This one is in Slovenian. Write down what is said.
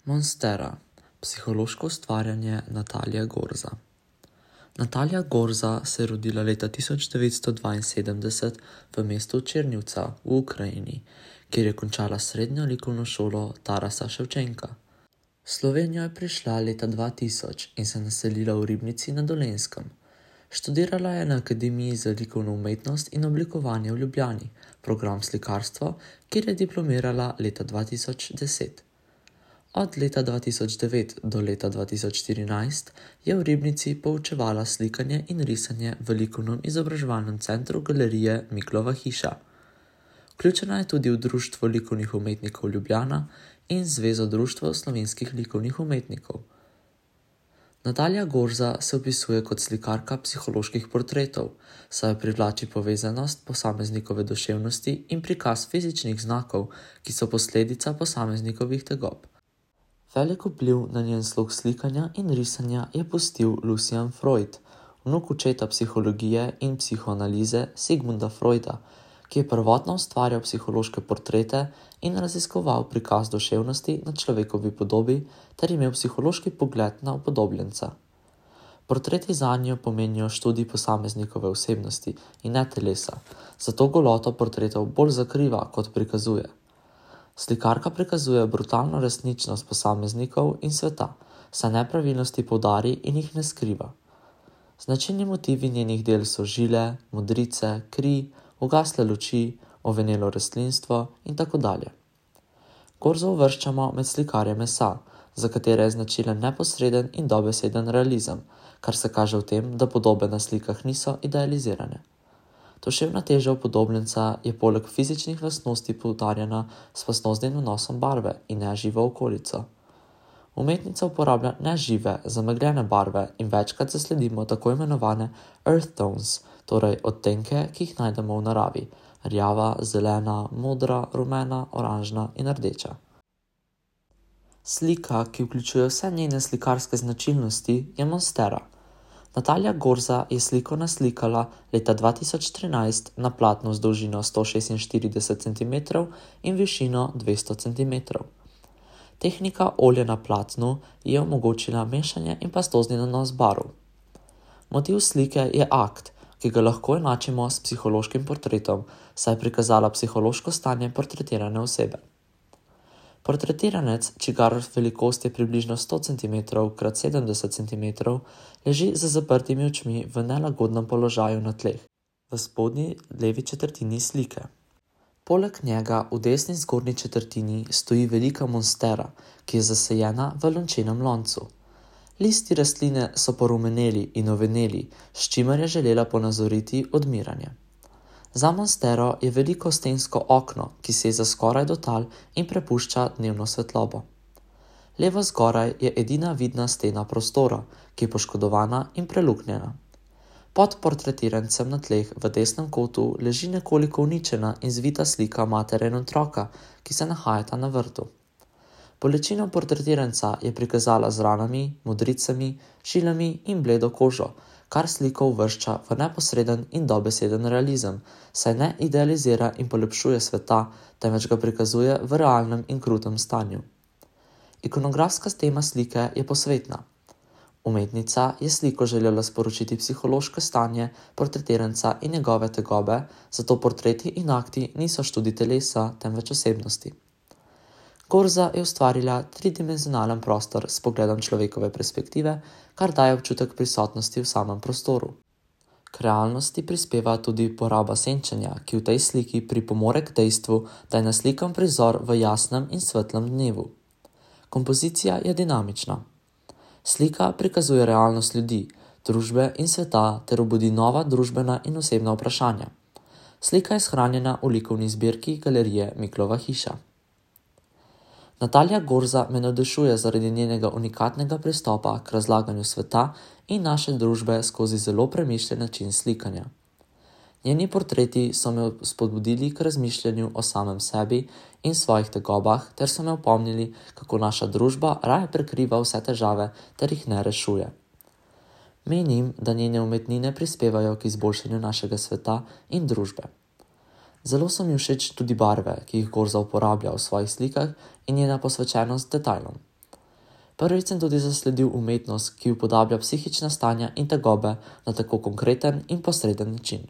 Monstera. Psihološko ustvarjanje Natalija Gorza. Natalija Gorza se je rodila leta 1972 v mestu Černjivca v Ukrajini, kjer je končala srednjo likovno šolo Tarasa Ševčenka. V Slovenijo je prišla leta 2000 in se naselila v Ribnici na Dolenjskem. Študirala je na Akademiji za likovno umetnost in oblikovanje v Ljubljani, program slikarstvo, kjer je diplomirala leta 2010. Od leta 2009 do leta 2014 je v Ribnici poučevala slikanje in risanje v likovnem izobraževalnem centru galerije Miklova hiša. Vključena je tudi v Društvo likovnih umetnikov Ljubljana in Zvezo društev slovenskih likovnih umetnikov. Natalija Gorza se opisuje kot slikarka psiholoških portretov, saj privlači povezanost posameznikove duševnosti in prikaz fizičnih znakov, ki so posledica posameznikovih tegob. Velik vpliv na njen slog slikanja in risanja je pustil Lucian Freud, vnuk očeta psihologije in psihoanalize Sigmunda Freuda, ki je prvotno ustvarjal psihološke portrete in raziskoval prikaz duševnosti na človekovi podobi ter imel psihološki pogled na upodobljenca. Portreti zanjo pomenijo študij posameznikove osebnosti in ne telesa, zato goloto portretov bolj zakriva kot prikazuje. Slikarka prikazuje brutalno resničnost posameznikov in sveta, saj nepravilnosti poudari in jih ne skriva. Značilni motivi njenih del so žile, modrice, kri, ugasle luči, ovenelo rastlinstvo in tako dalje. Gorzo uvrščamo med slikarje mesa, za katere je značilen neposreden in dobeseden realizem, kar se kaže v tem, da podobe na slikah niso idealizirane. Duševna teža upodobljenca je poleg fizičnih lastnosti poudarjena s lastnostnim vnosom barve in neživo okolico. Umetnica uporablja nežive, zamegljene barve in večkrat zasledimo tako imenovane earth tones, torej odtenke, ki jih najdemo v naravi: rjava, zelena, modra, rumena, oranžna in rdeča. Slika, ki vključuje vse njene slikarske značilnosti, je monstera. Natalija Gorza je sliko naslikala leta 2013 na platnu z dolžino 146 cm in višino 200 cm. Tehnika olja na platnu je omogočila mešanje in pastozni nanos barv. Motiv slike je akt, ki ga lahko enačimo s psihološkim portretom, saj je prikazala psihološko stanje portretirane osebe. Portretiranec, čigar velikost je približno 100 cm x 70 cm, leži z zaprtimi očmi v nelagodnem položaju na tleh, v spodnji levi četrtini slike. Poleg njega v desni zgornji četrtini stoji velika monstera, ki je zasajena v lončenem loncu. Listi rastline so porumeneli in oveneli, s čimer je želela ponazoriti odmiranje. Za monstero je veliko stensko okno, ki seza skoraj do tal in prepušča dnevno svetlobo. Levo zgoraj je edina vidna stena prostora, ki je poškodovana in preluknjena. Pod portretirancem na tleh v desnem kotu leži nekoliko uničena in zvita slika matere in otroka, ki se nahajata na vrtu. Bolečino portretiranca je prikazala z ranami, modricami, žilami in bledo kožo, kar sliko uvršča v neposreden in dobeseden realizem, saj ne idealizira in polepšuje sveta, temveč ga prikazuje v realnem in krutem stanju. Ikonografska tema slike je posvetna. Umetnica je sliko želela sporočiti psihološko stanje portretiranca in njegove tegobe, zato portreti in akti niso študij telesa, temveč osebnosti. Gorza je ustvarila tridimenzionalen prostor s pogledom človekove perspektive, kar daje občutek prisotnosti v samem prostoru. K realnosti prispeva tudi poraba senčenja, ki v tej sliki pripomore k dejstvu, da je naslikan prizor v jasnem in svetlem dnevu. Kompozicija je dinamična. Slika prikazuje realnost ljudi, družbe in sveta ter obudi nova družbena in osebna vprašanja. Slika je shranjena v likovni zbirki galerije Miklova hiša. Natalija Gorza me navdušuje zaradi njenega unikatnega pristopa k razlaganju sveta in naše družbe skozi zelo premišljen način slikanja. Njeni portreti so me spodbudili k razmišljanju o samem sebi in svojih tegobah ter so me opomnili, kako naša družba raje prekriva vse težave ter jih ne rešuje. Menim, da njene umetnine prispevajo k izboljšanju našega sveta in družbe. Zelo so mi všeč tudi barve, ki jih Gorza uporablja v svojih slikah in njena posvečenost detajlom. Prvič sem tudi zasledil umetnost, ki upodablja psihična stanja in tegobe na tako konkreten in posreden način.